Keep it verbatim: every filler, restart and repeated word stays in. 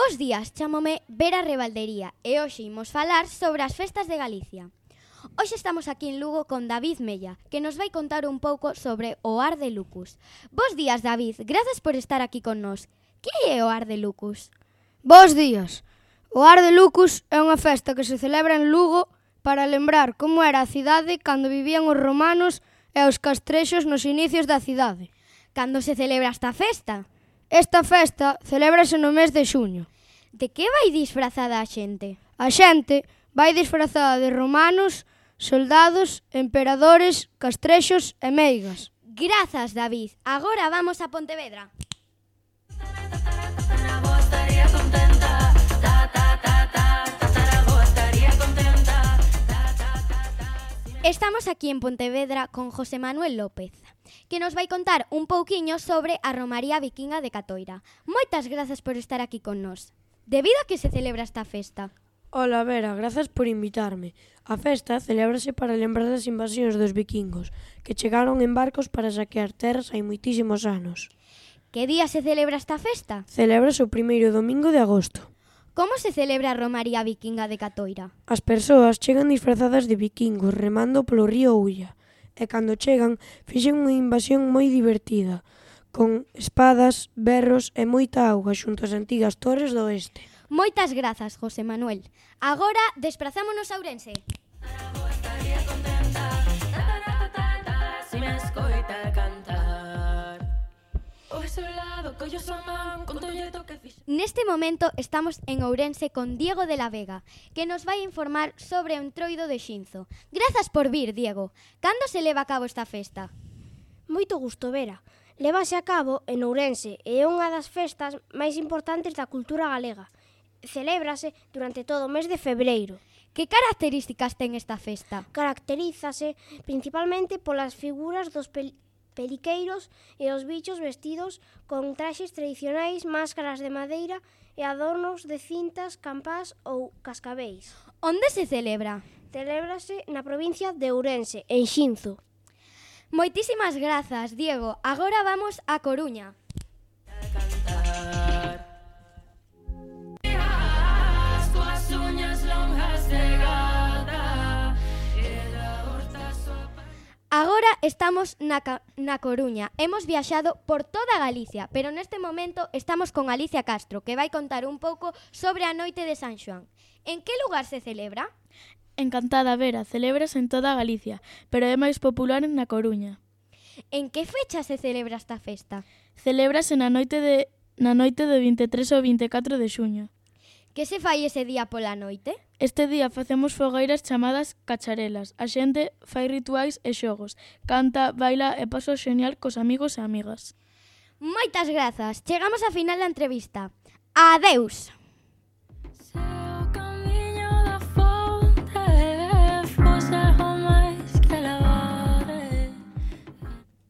Bos días, chámome Vera Rebaldería e hoxe imos falar sobre as festas de Galicia. Hoxe estamos aquí en Lugo con David Mella, que nos vai contar un pouco sobre o Ar de Lucus. Bos días, David, grazas por estar aquí con nós. Que é o Ar de Lucus? Bos días. O Ar de Lucus é unha festa que se celebra en Lugo para lembrar como era a cidade cando vivían os romanos e os castrexos nos inicios da cidade. Cando se celebra esta festa? Esta festa celébrase no mes de xuño. De que vai disfrazada a xente? A xente vai disfrazada de romanos, soldados, emperadores, castrexos e meigas. Grazas, David. Agora vamos a Pontevedra. Estamos aquí en Pontevedra con José Manuel López, que nos vai contar un pouquiño sobre a Romaría Vikinga de Catoira. Moitas grazas por estar aquí con nós. Debido a que se celebra esta festa? Ola, Vera, grazas por invitarme. A festa celébrase para lembrar das invasións dos vikingos, que chegaron en barcos para saquear terras hai moitísimos anos. Que día se celebra esta festa? Celébrase o primeiro domingo de agosto. Como se celebra a Romaría Vikinga de Catoira? As persoas chegan disfrazadas de vikingos remando polo río Ulla, e cando chegan fixen unha invasión moi divertida, con espadas, berros e moita auga xunto ás antigas torres do oeste. Moitas grazas, José Manuel. Agora desprazámonos a Ourense. Neste momento estamos en Ourense con Diego de la Vega, que nos vai informar sobre o Entroido de Xinzo. Grazas por vir, Diego. Cando se leva a cabo esta festa? Moito gusto, Vera. Lévase a cabo en Ourense e é unha das festas máis importantes da cultura galega. Celébrase durante todo o mes de febreiro. Que características ten esta festa? Caracterízase principalmente polas figuras dos pel periqueiros e os bichos vestidos con traxes tradicionais, máscaras de madeira e adornos de cintas, campás ou cascabeis. Onde se celebra? Celébrase na provincia de Ourense, en Xinzo. Moitísimas grazas, Diego. Agora vamos a Coruña. Agora estamos na, na Coruña. Hemos viaxado por toda Galicia, pero neste momento estamos con Alicia Castro, que vai contar un pouco sobre a noite de San Xoán. En que lugar se celebra? Encantada, Vera, celébrase en toda Galicia, pero é máis popular na Coruña. En que fecha se celebra esta festa? Celébrase na noite de na noite de vinte e tres ao vinte e catro de xuño. Que se fai ese día pola noite? Este día facemos fogueiras chamadas cacharelas. A xente fai rituais e xogos, canta, baila e paso xenial cos amigos e amigas. Moitas grazas. Chegamos ao final da entrevista. Adeus.